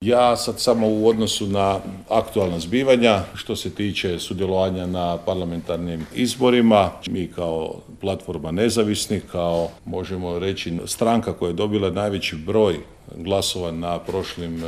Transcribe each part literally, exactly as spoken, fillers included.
Ja sad samo u odnosu na aktualna zbivanja, što se tiče sudjelovanja na parlamentarnim izborima, mi kao platforma nezavisnih, kao možemo reći stranka koja je dobila najveći broj glasova na prošlim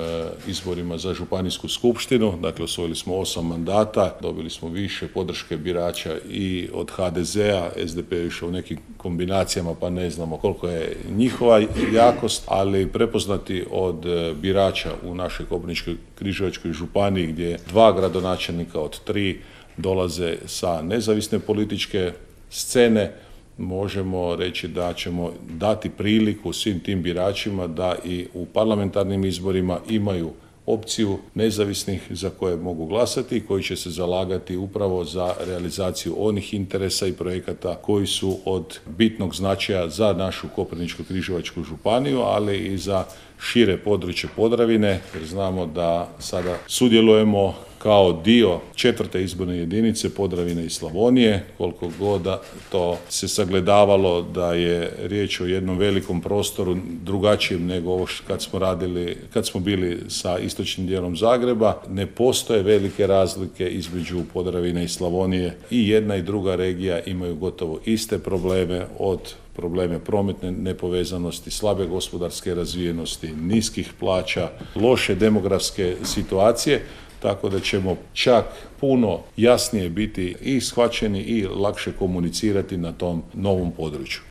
izborima za županijsku skupštinu, dakle osvojili smo osam mandata, dobili smo više podrške birača i od ha de zea, es de pe je išao u nekim kombinacijama pa ne znamo koliko je njihova jakost, ali prepoznati od birača u našoj Koprivničko-križevačkoj županiji gdje dva gradonačelnika od tri dolaze sa nezavisne političke scene, možemo reći da ćemo dati priliku svim tim biračima da i u parlamentarnim izborima imaju opciju nezavisnih za koje mogu glasati i koji će se zalagati upravo za realizaciju onih interesa i projekata koji su od bitnog značaja za našu Koprivničko-križevačku županiju, ali i za šire područje Podravine, jer znamo da sada sudjelujemo kao dio četvrte izborne jedinice Podravine i Slavonije, koliko god to se sagledavalo da je riječ o jednom velikom prostoru drugačijem nego ovo kad smo radili, kad smo bili sa istočnim dijelom Zagreba, ne postoje velike razlike između Podravine i Slavonije i jedna i druga regija imaju gotovo iste probleme, od probleme prometne nepovezanosti, slabe gospodarske razvijenosti, niskih plaća, loše demografske situacije, tako da ćemo čak puno jasnije biti i shvaćeni i lakše komunicirati na tom novom području.